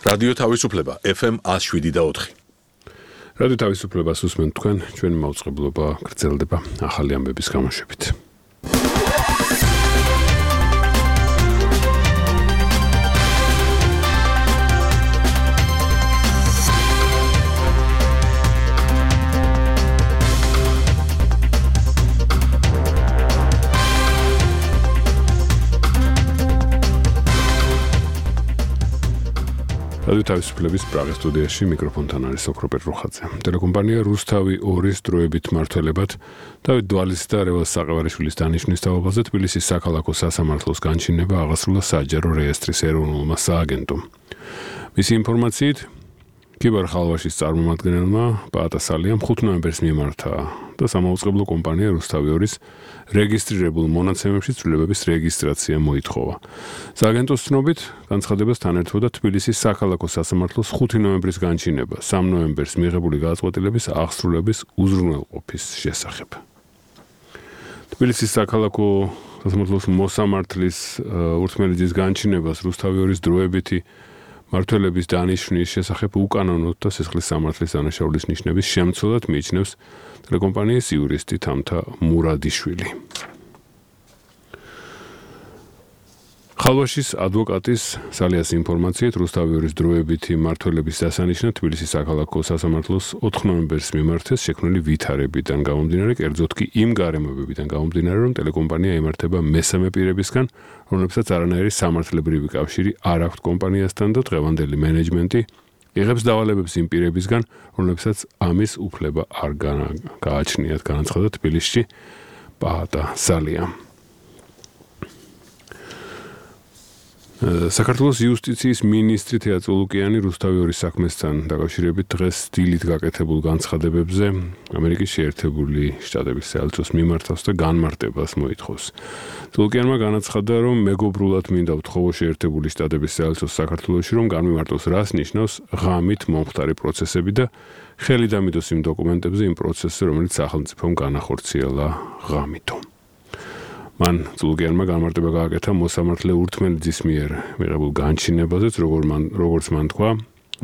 რადიო თავისუფლება FM 107.4. რადიო თავისუფლებას უსმენთ თქვენ, ჩვენი მაუწყებლობა გრძელდება ახალი ამბების გამოშვებით. რადიო თავისუფლების პრაღის სტუდიაში მიკროფონთან არის ოქროპერ რუხაძე. ტელეკომპანია რუსთავი 2-ის დროებით მმართველებად დავით დვალის და რევალ საყევარიშვილის დანიშვნის თავობაზე თბილისის საქალაქო სასამართლოს განჩინება აღასრულა საჯარო რეესტრის ეროვნულმა სააგენტომ. მისი ინფორმაციით, ქიბარ ხალვაშის წარმომადგენელმა პაატა სალიამ 5 ნოემბერს მიმართა და სამაუწყებლო კომპანია რუსთავი 2-ის რეგისტრირებულ მონაცემებში ცვლილებების რეგისტრაცია მოითხოვა. სააგენტოს ცნობით, განცხადებასთან ერთვოდა თბილისის საქალაქო სასამართლოს 5 ნოემბრის განჩინება 3 ნოემბერს მიღებული გადაწყვეტილების აღსრულების უზრუნველყოფის შესახებ. თბილისის საქალაქო სასამართლოს მოსამართლის ურთმელიძის განჩინებას რუსთავი 2-ის დროებითი მმართველების დანიშვნის შესახებ უკანონოდ და სისხლის სამართლის დანაშაულის ნიშნების შემცველად მიიჩნევს ტელეკომპანიის იურისტი თამთა მურადიშვილი. ხალვაშის ადვოკატის სალიას ინფორმაციით, რუსთავი 2-ის დროებითი მმართველების დასანიშნად თბილისის საქალაქო სასამართლოს 4 ნოემბერს მიმართეს შექმნილი ვითარებიდან გამომდინარე, კერძოდ კი იმ გარემოებებიდან გამომდინარე, რომ ტელეკომპანია იმართება მესამე პირებისგან, რომლებსაც არანაირი სამართლებრივი კავშირი არ აქვთ კომპანიასთან და დღევანდელი მენეჯმენტი იღებს დავალებებს იმ პირებისგან, რომლებსაც ამის უფლება არ გააჩნიათ, განაცხადა თბილისში პაატა სალიამ. საქართველოს იუსტიციის მინისტრი თეატრო ლუკიანი რუსთავი 2-ის საქმესთან დაკავშირებით დღეს დილით გაკეთებულ განცხადებებზე ამერიკის შეერთებული შტატების საელჩოს მიმართავს და განმარტებას მოითხოვს. ლუკიანმა განაცხადა, რომ მეგობრულად მინდა ვთხოვო შეერთებული შტატების საელჩოს საქართველოში, რომ განმარტოს რას ნიშნავს ღამით მომხდარი პროცესები და ხელი დამიდოს იმ დოკუმენტებზე იმ პროცესზე, რომელიც სახელმწიფომ განახორციელა ღამითო. მან ლუკიანმა განმარტება გააკეთა მოსამართლე ურთმელიძის მიერ მიღებულ განჩინებაზეც, როგორც მან თქვა,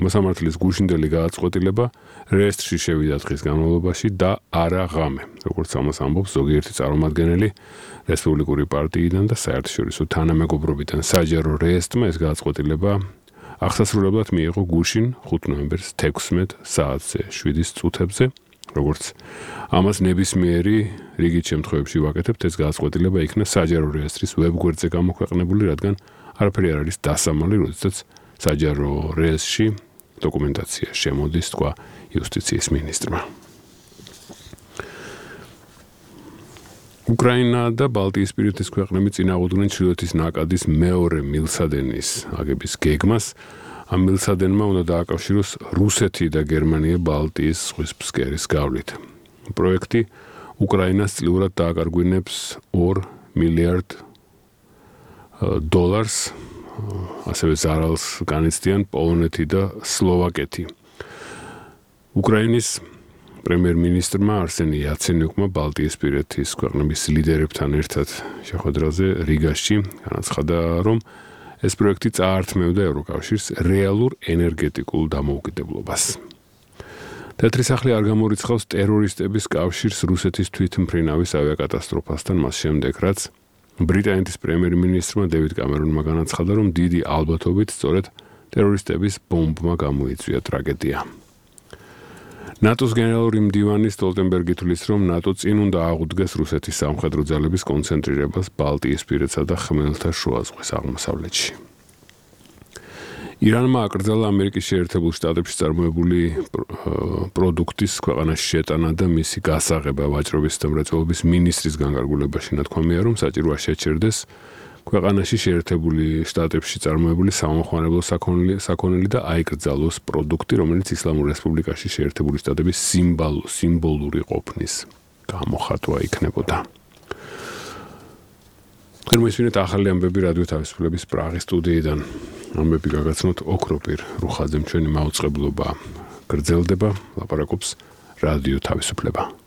მოსამართლის გუშინდელი გადაწყვეტილება რეესტრში შევიდა დღის განმავლობაში და არა ღამე, როგორც ამას ამბობს ზოგიერთი წარმომადგენელი რესპუბლიკური პარტიიდან და საერთაშორისო თანამეგობრობიდან. საჯარო რეესტრმა ეს გადაწყვეტილება აღსასრულებლად მიიღო გუშინ 5 ნოემბერს 16 საათზე 7 წუთებზე. როგორც ამას ნებისმიერი რიგით შემთხვევებში ვაკეთებთ, ეს გადაწყვეტილება იქნა საჯარო რეესტრის ვებგვერდზე გამოქვეყნებული, რადგან არაფერი არ არის დასამალი, როდესაც საჯარო რეესტრში დოკუმენტაცია შემოდის, თქვა იუსტიციის მინისტრმა. უკრაინა და ბალტიისპირეთის ქვეყნები წინააღმდეგნენ ჩრდილოეთის ნაკადის მეორე მილსადენის აგების გეგმას. ამ მილსადენმა უნდა დააკავშიროს რუსეთი და გერმანია ბალტიის ზღვის ფსკერის გავლით. პროექტი უკრაინას წლიურად დააკარგვინებს $2 მილიარდ, ასევე ზარალს განიცდიან პოლონეთი და სლოვაკეთი. უკრაინის პრემიერ-მინისტრმა არსენი იაცენიუკმა ბალტიისპირეთის ქვეყნების ლიდერებთან ერთად შეხვედრაზე რიგაში განაცხადა, რომ ეს პროექტი წაართმევდა ევროკავშირს რეალურ ენერგეტიკულ დამოუკიდებლობას. თეთრი სახლი არ გამორიცხავს ტერორისტების კავშირს რუსეთის თვითმფრინავის ავიაკატასტროფასთან მას შემდეგ, რაც ბრიტანეთის პრემიერ-მინისტრმა დევიდ კამერონმა განაცხადა, რომ დიდი ალბათობით სწორედ ტერორისტების ბომბმა გამოიწვია ტრაგედია. ნატოს გენერალური მდივანი სტოლტენბერგი თვლის, რომ ნატო წინ უნდა აღუდგეს რუსეთის სამხედრო ძალების კონცენტრირებას ბალტიისპირეთსა და ხმელთაშუა ზღვის აღმოსავლეთში. ირანმა აკრძალა ამერიკის შეერთებულ შტატებში წარმოებული პროდუქტის ქვეყანაში შეტანა და მისი გასაღება ვაჭრობის და მრეწველობის მინისტრის განკარგულებაში ნათქვამია, რომ საჭიროა შეჩერდეს ქვეყანაში შეერთებული შტატებში წარმოებული სამოხმარებლო საქონელი და აიკრძალოს პროდუქტი, რომელიც ისლამურ რესპუბლიკაში შეერთებული შტატების სიმბოლური ყოფნის გამოხატვა იქნებოდა. მოისმინეთ ახალი ამბები რადიო თავისუფლების პრაღის სტუდიიდან. ამბები გაგაცნოთ ოქროპერ რუხაძემ, ჩვენი მაუწყებლობა გრძელდება, ლაპარაკობს რადიო თავისუფლება.